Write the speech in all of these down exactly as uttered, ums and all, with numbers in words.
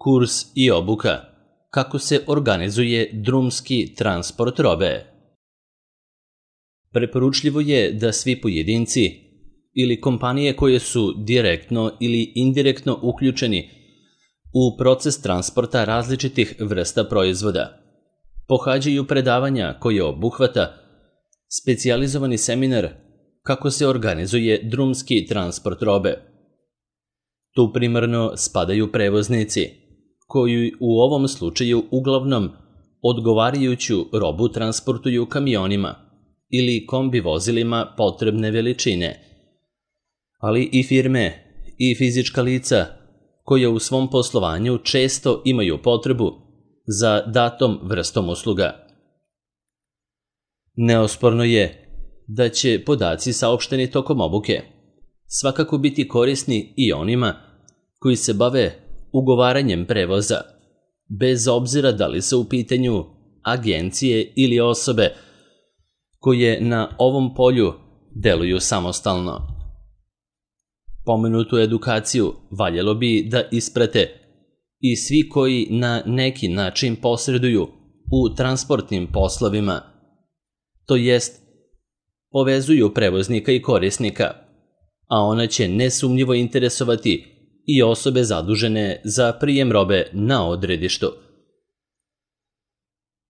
Kurs i obuka. Kako se organizuje drumski transport robe. Preporučljivo je da svi pojedinci ili kompanije koje su direktno ili indirektno uključeni u proces transporta različitih vrsta proizvoda pohađaju predavanja koje obuhvata specijalizovani seminar kako se organizuje drumski transport robe. Tu primarno spadaju prevoznici, koji u ovom slučaju uglavnom odgovarajuću robu transportuju kamionima ili kombi vozilima potrebne veličine, ali i firme i fizička lica koja u svom poslovanju često imaju potrebu za datom vrstom usluga. Neosporno je da će podaci saopšteni tokom obuke svakako biti korisni i onima koji se bave ugovaranjem prevoza, bez obzira da li su u pitanju agencije ili osobe koje na ovom polju deluju samostalno. Pomenutu edukaciju valjalo bi da isprate i svi koji na neki način posreduju u transportnim poslovima, to jest povezuju prevoznika i korisnika, a ona će nesumnjivo interesovati i osobe zadužene za prijem robe na odredištu.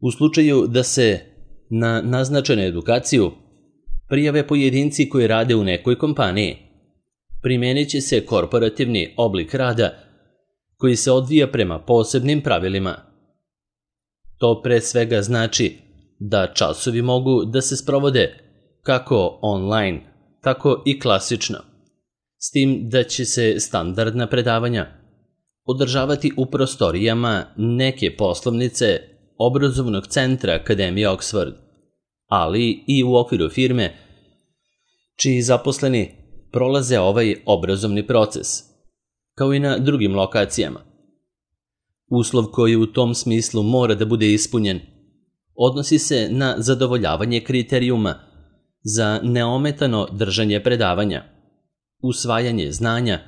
U slučaju da se na naznačenu edukaciju prijave pojedinci koji rade u nekoj kompaniji, primenit će se korporativni oblik rada koji se odvija prema posebnim pravilima. To pre svega znači da časovi mogu da se sprovode kako online, tako i klasično, s tim da će se standardna predavanja održavati u prostorijama neke poslovnice obrazovnog centra Akademije Oxford, ali i u okviru firme čiji zaposleni prolaze ovaj obrazovni proces, kao i na drugim lokacijama. Uslov koji u tom smislu mora da bude ispunjen odnosi se na zadovoljavanje kriterijuma za neometano držanje predavanja, usvajanje znanja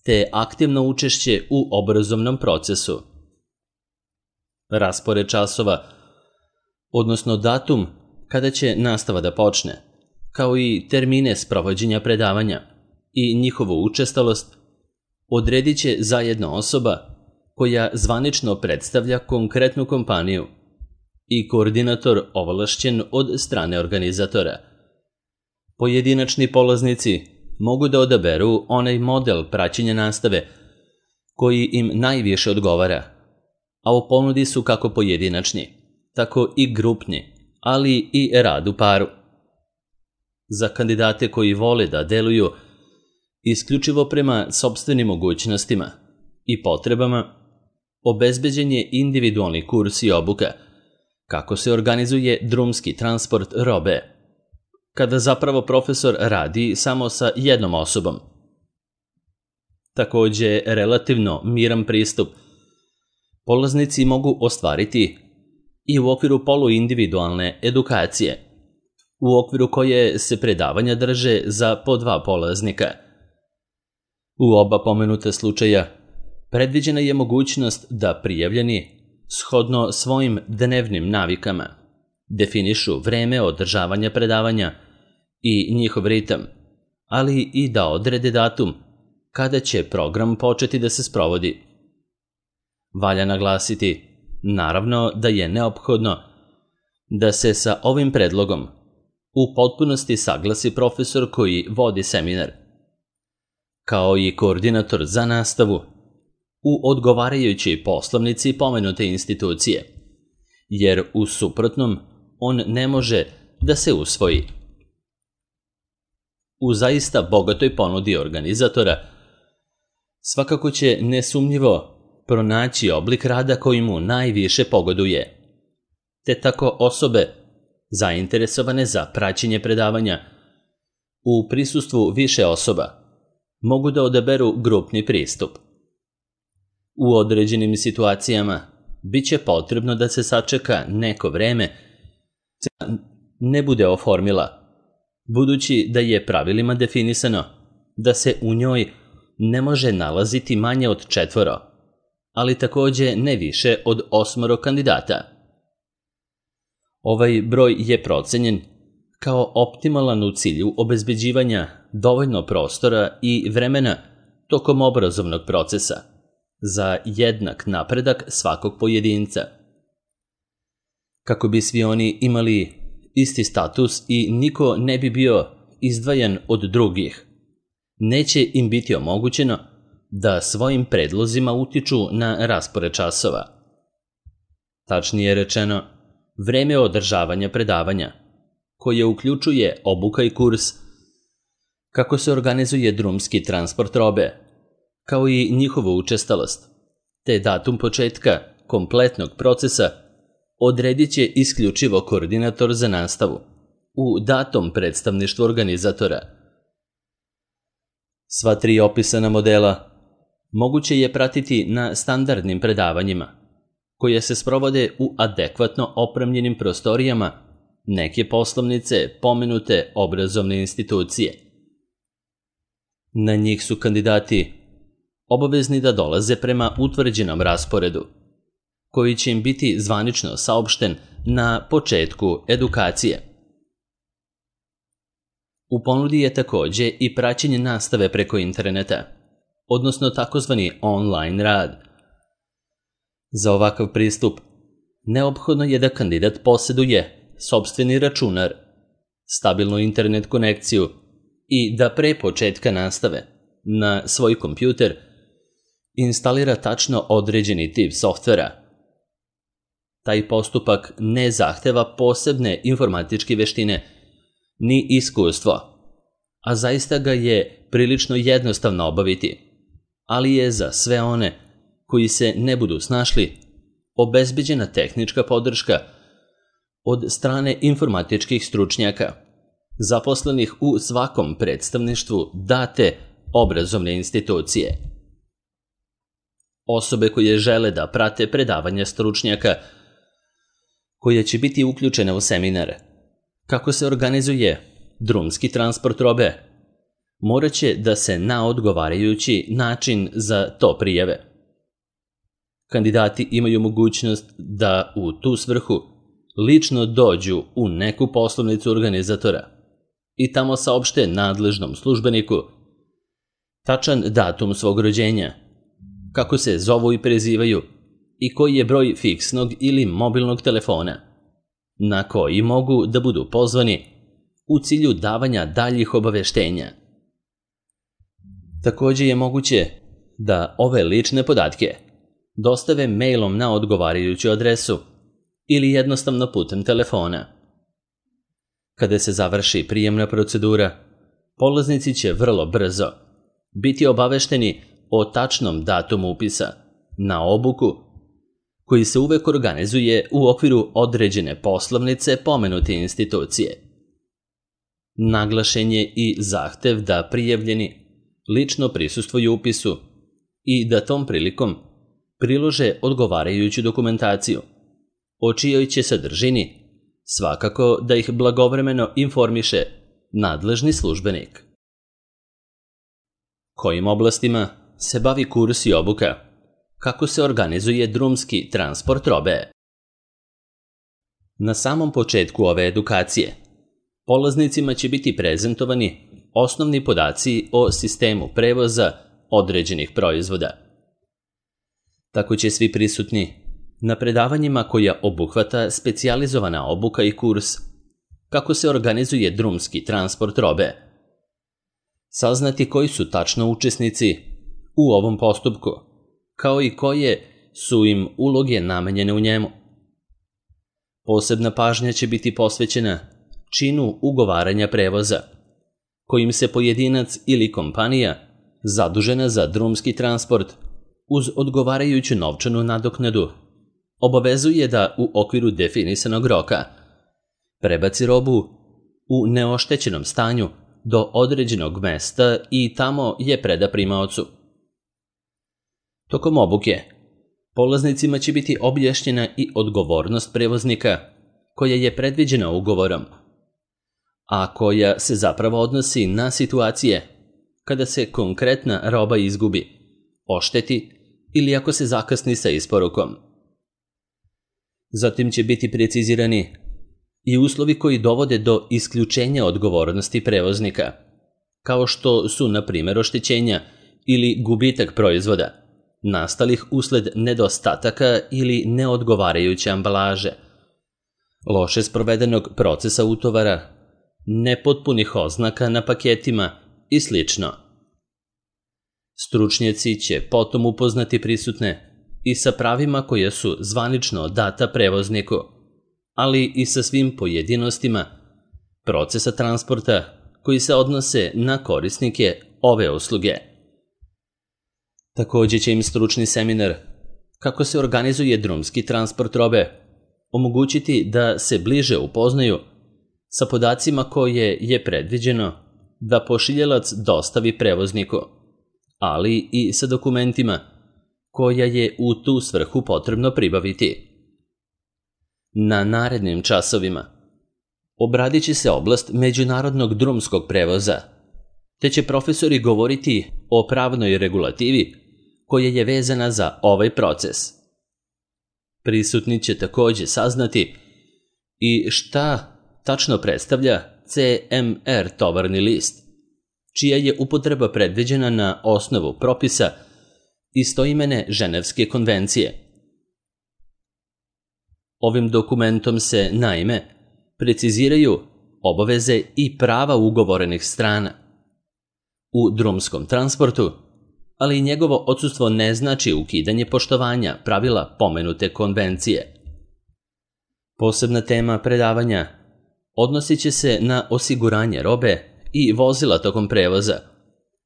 te aktivno učešće u obrazovnom procesu. Raspored časova, odnosno datum kada će nastava da počne, kao i termine sprovođenja predavanja i njihovu učestalost, odredit će zajedno osoba koja zvanično predstavlja konkretnu kompaniju i koordinator ovlašćen od strane organizatora. Pojedinačni polaznici mogu da odaberu onaj model praćenja nastave koji im najviše odgovara, a u ponudi su kako pojedinačni, tako i grupni, ali i rad u paru. Za kandidate koji vole da deluju isključivo prema sopstvenim mogućnostima i potrebama, obezbeđen je individualni kurs i obuka kako se organizuje drumski transport robe, kada zapravo profesor radi samo sa jednom osobom. Takođe, relativno miran pristup polaznici mogu ostvariti i u okviru poluindividualne edukacije, u okviru koje se predavanja drže za po dva polaznika. U oba pomenuta slučaja predviđena je mogućnost da prijavljeni, shodno svojim dnevnim navikama, definišu vreme održavanja predavanja i njihov ritam, ali i da odrede datum kada će program početi da se sprovodi. Valja naglasiti, naravno, da je neophodno da se sa ovim predlogom u potpunosti saglasi profesor koji vodi seminar, kao i koordinator za nastavu u odgovarajućoj poslovnici pomenute institucije, jer u suprotnom on ne može da se usvoji. U zaista bogatoj ponudi organizatora svakako će nesumnjivo pronaći oblik rada koji mu najviše pogoduje, te tako osobe zainteresovane za praćenje predavanja u prisustvu više osoba mogu da odaberu grupni pristup. U određenim situacijama bit će potrebno da se sačeka neko vreme da ne bude oformila, budući da je pravilima definisano da se u njoj ne može nalaziti manje od četvoro, ali takođe ne više od osmoro kandidata. Ovaj broj je procenjen kao optimalan u cilju obezbeđivanja dovoljno prostora i vremena tokom obrazovnog procesa za jednak napredak svakog pojedinca. Kako bi svi oni imali isti status i niko ne bi bio izdvajan od drugih, neće im biti omogućeno da svojim predlozima utiču na raspored časova. Tačnije rečeno, vreme održavanja predavanja, koje uključuje obuka i kurs, kako se organizuje drumski transport robe, kao i njihovu učestalost, te datum početka kompletnog procesa odredit će isključivo koordinator za nastavu u datom predstavništvu organizatora. Sva tri opisana modela moguće je pratiti na standardnim predavanjima, koje se sprovode u adekvatno opremljenim prostorijama neke poslovnice pomenute obrazovne institucije. Na njih su kandidati obavezni da dolaze prema utvrđenom rasporedu, koji će im biti zvanično saopšten na početku edukacije. U ponudi je takođe i praćenje nastave preko interneta, odnosno takozvani online rad. Za ovakav pristup neophodno je da kandidat poseduje sopstveni računar, stabilnu internet konekciju i da pre početka nastave na svoj kompjuter instalira tačno određeni tip softvera. Taj postupak ne zahteva posebne informatičke veštine ni iskustvo, a zaista ga je prilično jednostavno obaviti, ali je za sve one koji se ne budu snašli obezbeđena tehnička podrška od strane informatičkih stručnjaka, zaposlenih u svakom predstavništvu date obrazovne institucije. Osobe koje žele da prate predavanja stručnjaka koje će biti uključene u seminar, kako se organizuje drumski transport robe, morat će da se na odgovarajući način za to prijave. Kandidati imaju mogućnost da u tu svrhu lično dođu u neku poslovnicu organizatora i tamo saopšte nadležnom službeniku tačan datum svog rođenja, kako se zovu i prezivaju i koji je broj fiksnog ili mobilnog telefona, na koji mogu da budu pozvani u cilju davanja daljih obaveštenja. Takođe je moguće da ove lične podatke dostave mailom na odgovarajuću adresu ili jednostavno putem telefona. Kada se završi prijemna procedura, polaznici će vrlo brzo biti obavešteni o tačnom datumu upisa na obuku, koji se uvek organizuje u okviru određene poslovnice pomenute institucije. Naglašen je i zahtev da prijavljeni lično prisustvuju upisu i da tom prilikom prilože odgovarajuću dokumentaciju, o čijoj će sadržini svakako da ih blagovremeno informiše nadležni službenik. Kojim oblastima se bavi kurs i obuka? Kako se organizuje drumski transport robe? Na samom početku ove edukacije, polaznicima će biti prezentovani osnovni podaci o sistemu prevoza određenih proizvoda. Tako će svi prisutni na predavanjima koja obuhvata specijalizovana obuka i kurs kako se organizuje drumski transport robe, saznati koji su tačno učesnici u ovom postupku, kao i koje su im uloge namenjene u njemu. Posebna pažnja će biti posvećena činu ugovaranja prevoza, kojim se pojedinac ili kompanija zadužena za drumski transport uz odgovarajuću novčanu nadoknadu obavezuje da u okviru definisanog roka prebaci robu u neoštećenom stanju do određenog mesta i tamo je preda primaocu. Tokom obuke, polaznicima će biti objašnjena i odgovornost prevoznika koja je predviđena ugovorom, a koja se zapravo odnosi na situacije kada se konkretna roba izgubi, ošteti ili ako se zakasni sa isporukom. Zatim će biti precizirani i uslovi koji dovode do isključenja odgovornosti prevoznika, kao što su, na primjer, oštećenja ili gubitak proizvoda, nastalih usled nedostataka ili neodgovarajuće ambalaže, loše sprovedenog procesa utovara, nepotpunih oznaka na paketima i sl. Stručnjaci će potom upoznati prisutne i sa pravima koje su zvanično data prevozniku, ali i sa svim pojedinostima procesa transporta koji se odnose na korisnike ove usluge. Također će im stručni seminar kako se organizuje drumski transport robe omogućiti da se bliže upoznaju sa podacima koje je predviđeno da pošiljalac dostavi prevozniku, ali i sa dokumentima koja je u tu svrhu potrebno pribaviti. Na narednim časovima obradit će se oblast međunarodnog drumskog prevoza, te će profesori govoriti o pravnoj regulativi koja je vezana za ovaj proces. Prisutni će također saznati i šta tačno predstavlja C M R tovarni list, čija je upotreba predviđena na osnovu propisa istoimene Ženevske konvencije. Ovim dokumentom se, naime, preciziraju obaveze i prava ugovorenih strana u drumskom transportu, ali i njegovo odsustvo ne znači ukidanje poštovanja pravila pomenute konvencije. Posebna tema predavanja odnosit će se na osiguranje robe i vozila tokom prevoza,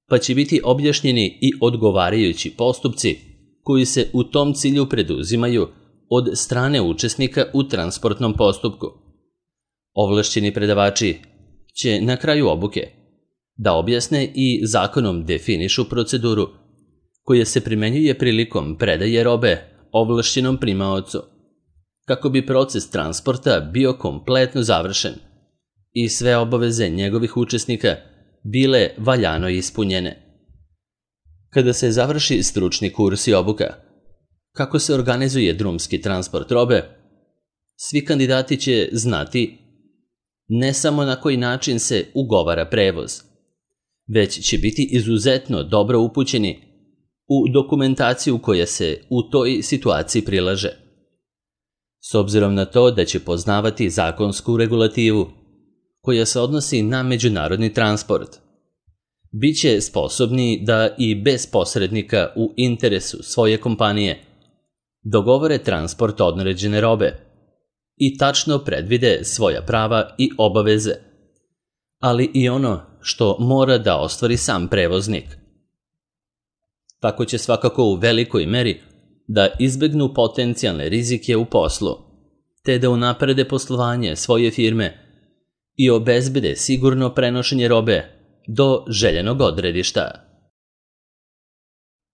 pa će biti objašnjeni i odgovarajući postupci koji se u tom cilju preduzimaju od strane učesnika u transportnom postupku. Ovlašćeni predavači će na kraju obuke da objasne i zakonom definišu proceduru koja se primenjuje prilikom predaje robe ovlašćenom primaocu, kako bi proces transporta bio kompletno završen i sve obaveze njegovih učesnika bile valjano ispunjene. Kada se završi stručni kurs i obuka, kako se organizuje drumski transport robe, svi kandidati će znati ne samo na koji način se ugovara prevoz, već će biti izuzetno dobro upućeni u dokumentaciju koja se u toj situaciji prilaže. S obzirom na to da će poznavati zakonsku regulativu koja se odnosi na međunarodni transport, bit će sposobni da i bez posrednika u interesu svoje kompanije dogovore transport određene robe i tačno predvide svoja prava i obaveze, ali i ono što mora da ostvari sam prevoznik. Tako će svakako u velikoj meri da izbegnu potencijalne rizike u poslu, te da unaprede poslovanje svoje firme i obezbede sigurno prenošenje robe do željenog odredišta.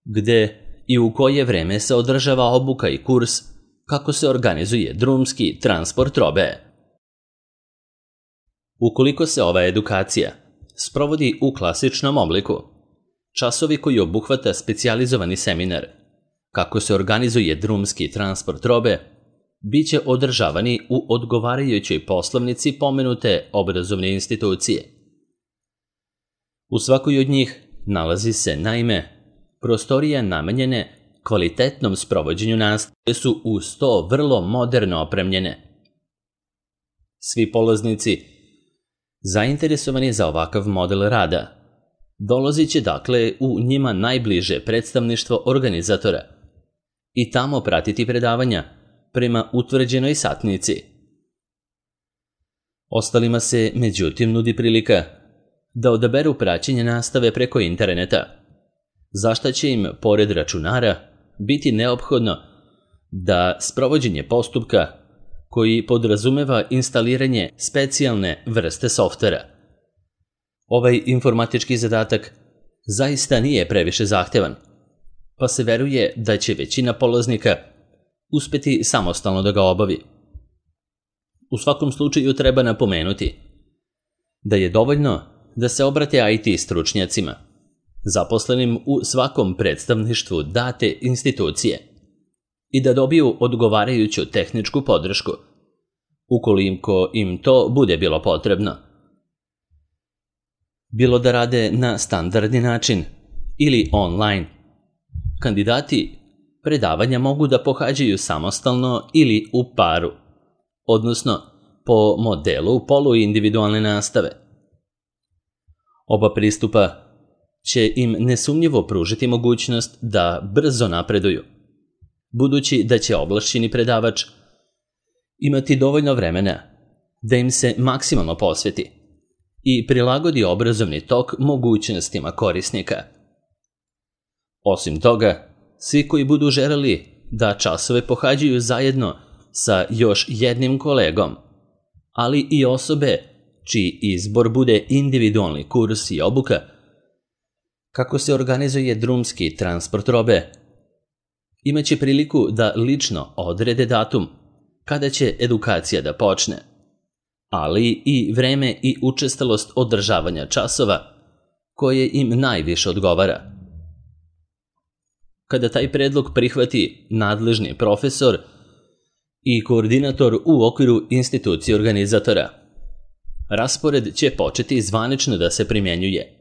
Gde i u koje vreme se održava obuka i kurs kako se organizuje drumski transport robe. Ukoliko se ova edukacija sprovodi u klasičnom obliku, časovi koji obuhvata specijalizovani seminar kako se organizuje drumski transport robe bit će održavani u odgovarajućoj poslovnici pomenute obrazovne institucije. U svakoj od njih nalazi se, naime, prostorije namenjene kvalitetnom sprovođenju nastave, koje su uz to vrlo moderno opremljene. Svi polaznici zainteresovani za ovakav model rada dolazit će dakle u njima najbliže predstavništvo organizatora i tamo pratiti predavanja prema utvrđenoj satnici. Ostalima se, međutim, nudi prilika da odaberu praćenje nastave preko interneta, za šta će im, pored računara, biti neophodno da sprovođenje postupka koji podrazumeva instaliranje specijalne vrste softvera. Ovaj informatički zadatak zaista nije previše zahtevan, pa se veruje da će većina polaznika uspeti samostalno da ga obavi. U svakom slučaju treba napomenuti da je dovoljno da se obrate I T stručnjacima, zaposlenim u svakom predstavništvu date institucije i da dobiju odgovarajuću tehničku podršku, ukoliko im to bude bilo potrebno. Bilo da rade na standardni način ili online, kandidati predavanja mogu da pohađaju samostalno ili u paru, odnosno po modelu poluindividualne nastave. Oba pristupa će im nesumnjivo pružiti mogućnost da brzo napreduju, budući da će ovlašćeni predavač imati dovoljno vremena da im se maksimalno posveti i prilagodi obrazovni tok mogućnostima korisnika. Osim toga, svi koji budu želeli da časove pohađaju zajedno sa još jednim kolegom, ali i osobe čiji izbor bude individualni kurs i obuka, kako se organizuje drumski transport robe, imaće priliku da lično odrede datum kada će edukacija da počne, ali i vreme i učestalost održavanja časova koje im najviše odgovara. Kada taj predlog prihvati nadležni profesor i koordinator u okviru institucije organizatora, raspored će početi zvanično da se primjenjuje,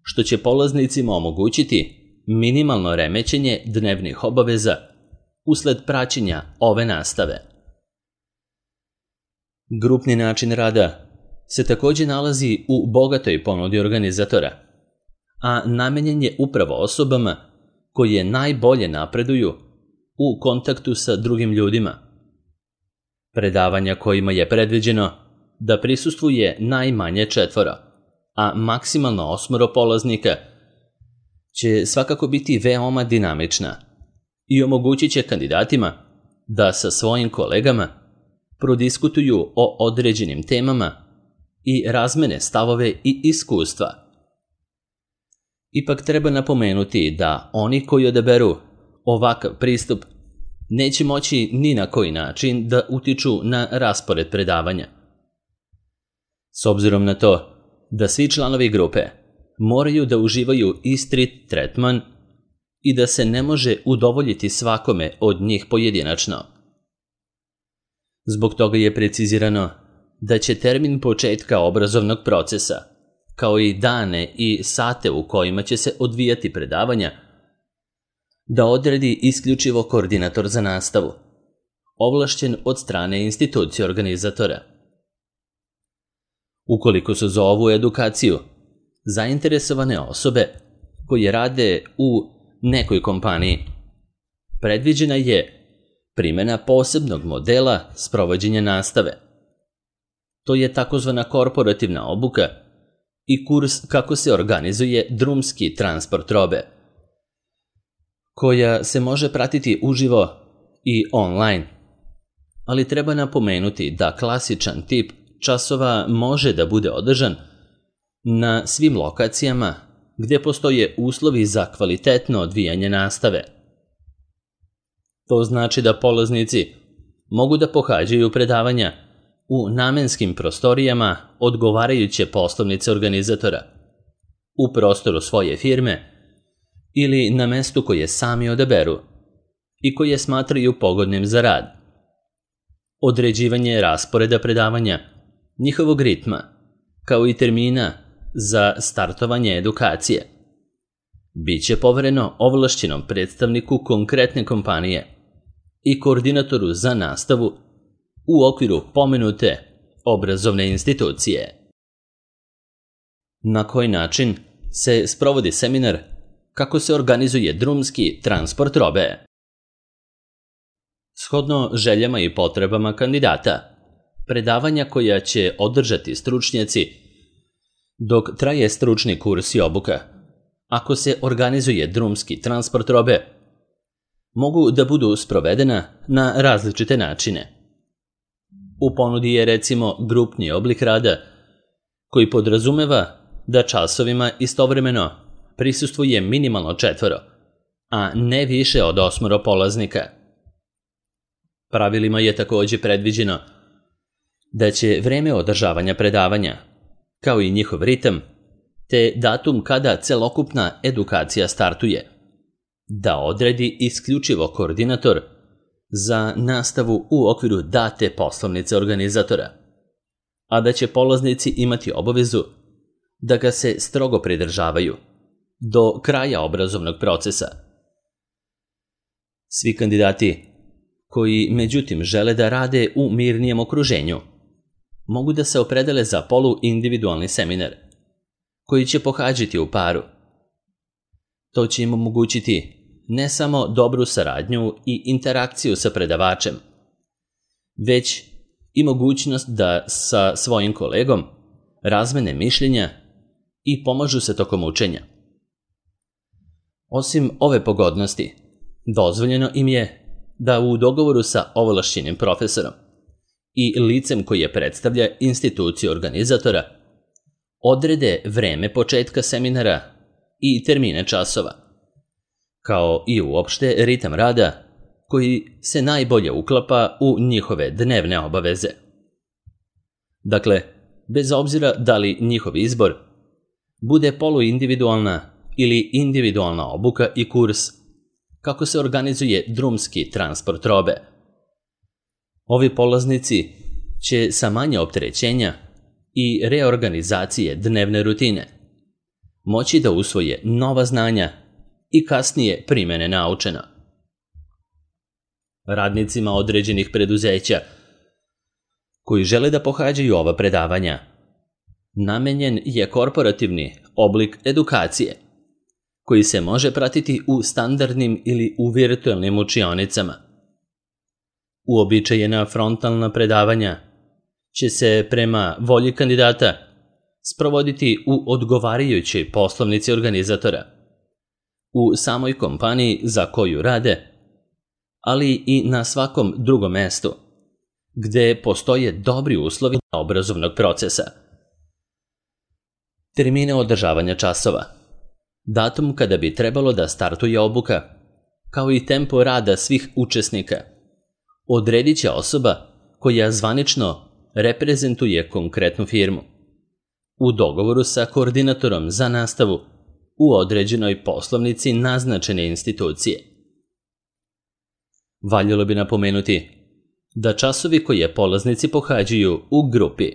što će polaznicima omogućiti minimalno remećenje dnevnih obaveza usled praćenja ove nastave. Grupni način rada se također nalazi u bogatoj ponudi organizatora, a namenjen je upravo osobama koje najbolje napreduju u kontaktu sa drugim ljudima. Predavanja kojima je predviđeno da prisustvuje najmanje četvoro, a maksimalno osmoro polaznika, će svakako biti veoma dinamična i omogućit će kandidatima da sa svojim kolegama prodiskutuju o određenim temama i razmene stavove i iskustva. Ipak treba napomenuti da oni koji odaberu ovakav pristup neće moći ni na koji način da utiču na raspored predavanja. S obzirom na to da svi članovi grupe moraju da uživaju isti tretman i da se ne može udovoljiti svakome od njih pojedinačno. Zbog toga je precizirano da će termin početka obrazovnog procesa, kao i dane i sate u kojima će se odvijati predavanja, da odredi isključivo koordinator za nastavu, ovlašćen od strane institucije organizatora. Ukoliko su za ovu edukaciju zainteresovane osobe koje rade u nekoj kompaniji, predviđena je primjena posebnog modela sprovođenja nastave. To je takozvana korporativna obuka i kurs kako se organizuje drumski transport robe, koja se može pratiti uživo i online, ali treba napomenuti da klasičan tip časova može da bude održan na svim lokacijama gdje postoje uslovi za kvalitetno odvijanje nastave. To znači da polaznici mogu da pohađaju predavanja u namenskim prostorijama odgovarajuće poslovnice organizatora, u prostoru svoje firme ili na mestu koje sami odaberu i koje smatraju pogodnim za rad. Određivanje rasporeda predavanja, njihovog ritma, kao i termina za startovanje edukacije, biće povereno ovlašćenom predstavniku konkretne kompanije i koordinatoru za nastavu u okviru pomenute obrazovne institucije. Na koji način se sprovodi seminar kako se organizuje drumski transport robe? Shodno željama i potrebama kandidata, predavanja koja će održati stručnjaci dok traje stručni kurs i obuka, ako se organizuje drumski transport robe, mogu da budu sprovedena na različite načine. U ponudi je recimo grupni oblik rada koji podrazumeva da časovima istovremeno prisustvuje minimalno četvoro, a ne više od osmoro polaznika. Pravilima je također predviđeno da će vreme održavanja predavanja, kao i njihov ritam, te datum kada celokupna edukacija startuje, da odredi isključivo koordinator za nastavu u okviru date poslovnice organizatora, a da će polaznici imati obavezu da ga se strogo pridržavaju do kraja obrazovnog procesa. Svi kandidati koji međutim žele da rade u mirnijem okruženju mogu da se opredele za poluindividualni seminar koji će pohađati u paru. To će im omogućiti ne samo dobru saradnju i interakciju sa predavačem, već i mogućnost da sa svojim kolegom razmene mišljenja i pomažu se tokom učenja. Osim ove pogodnosti, dozvoljeno im je da u dogovoru sa ovlašćenim profesorom i licem koje predstavlja instituciju organizatora odrede vreme početka seminara i termine časova, kao i uopšte ritam rada koji se najbolje uklapa u njihove dnevne obaveze. Dakle, bez obzira da li njihov izbor bude poluindividualna ili individualna obuka i kurs, kako se organizuje drumski transport robe, ovi polaznici će sa manje opterećenja i reorganizacije dnevne rutine moći da usvoje nova znanja i kasnije primene naučena. Radnicima određenih preduzeća koji žele da pohađaju ova predavanja namenjen je korporativni oblik edukacije koji se može pratiti u standardnim ili u virtualnim učionicama. Uobičajena frontalna predavanja će se prema volji kandidata sprovoditi u odgovarajućoj poslovnici organizatora, u samoj kompaniji za koju rade, ali i na svakom drugom mestu gde postoje dobri uslovi obrazovnog procesa. Termine održavanja časova, datum kada bi trebalo da startuje obuka, kao i tempo rada svih učesnika, odredit će osoba koja zvanično reprezentuje konkretnu firmu u dogovoru sa koordinatorom za nastavu u određenoj poslovnici naznačene institucije. Valjalo bi napomenuti da časovi koje polaznici pohađaju u grupi,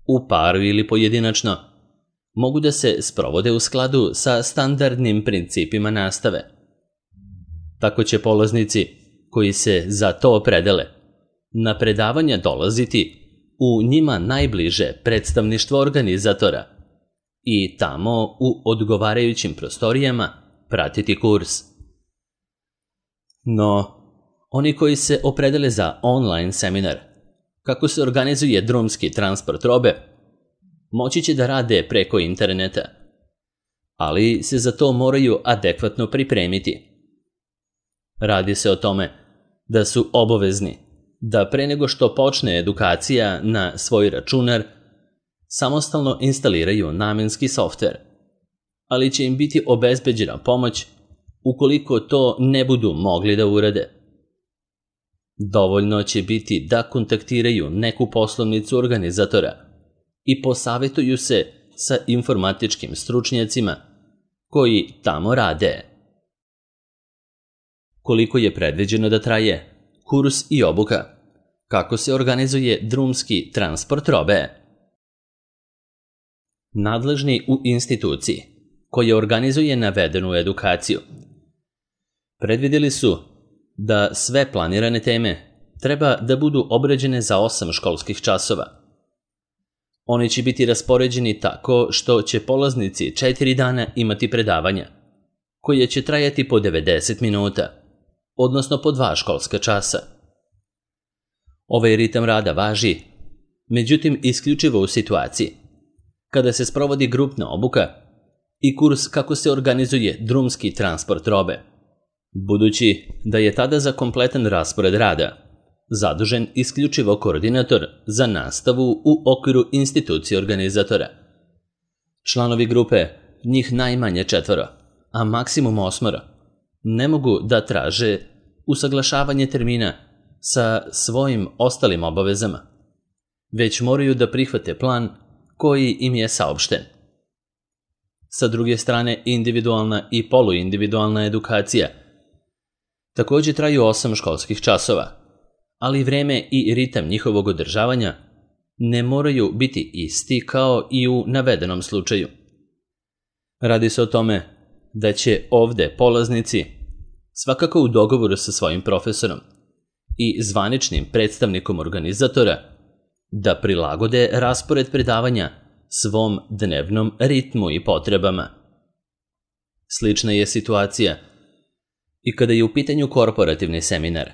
u paru ili pojedinačno, mogu da se sprovode u skladu sa standardnim principima nastave. Tako će polaznici koji se za to opredele na predavanja dolaziti u njima najbliže predstavništvo organizatora i tamo u odgovarajućim prostorijama pratiti kurs. No, oni koji se opredele za online seminar, kako se organizuje drumski transport robe, moći će da rade preko interneta, ali se za to moraju adekvatno pripremiti. Radi se o tome da su obavezni da pre nego što počne edukacija na svoj računar samostalno instaliraju namenski softver, ali će im biti obezbeđena pomoć ukoliko to ne budu mogli da urade. Dovoljno će biti da kontaktiraju neku poslovnicu organizatora i posavetuju se sa informatičkim stručnjacima koji tamo rade. Koliko je predviđeno da traje kurs i obuka, kako se organizuje drumski transport robe? Nadležni u instituciji koja organizuje navedenu edukaciju predvidjeli su da sve planirane teme treba da budu obrađene za osam školskih časova. Oni će biti raspoređeni tako što će polaznici četiri dana imati predavanja, koje će trajati po devedeset minuta, odnosno po dva školska časa. Ovaj ritam rada važi, međutim isključivo u situaciji kada se sprovodi grupna obuka i kurs kako se organizuje drumski transport robe, budući da je tada za kompletan raspored rada zadužen isključivo koordinator za nastavu u okviru institucije organizatora. Članovi grupe, njih najmanje četvoro, a maksimum osmoro, ne mogu da traže usaglašavanje termina sa svojim ostalim obavezama, već moraju da prihvate plan koji im je saopšten. sa druge strane individualna i poluindividualna edukacija. Također traju osam školskih časova, ali vreme i ritam njihovog održavanja ne moraju biti isti kao i u navedenom slučaju. Radi se o tome da će ovde polaznici, svakako u dogovoru sa svojim profesorom i zvaničnim predstavnikom organizatora, da prilagode raspored predavanja svom dnevnom ritmu i potrebama. Slična je situacija i kada je u pitanju korporativni seminar,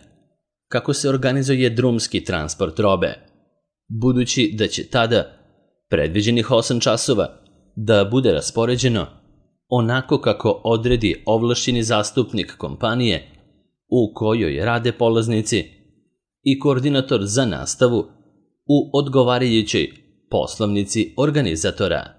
kako se organizuje drumski transport robe, budući da će tada predviđenih osam časova da bude raspoređeno onako kako odredi ovlašćeni zastupnik kompanije u kojoj rade polaznici i koordinator za nastavu u odgovarajućoj poslovnici organizatora.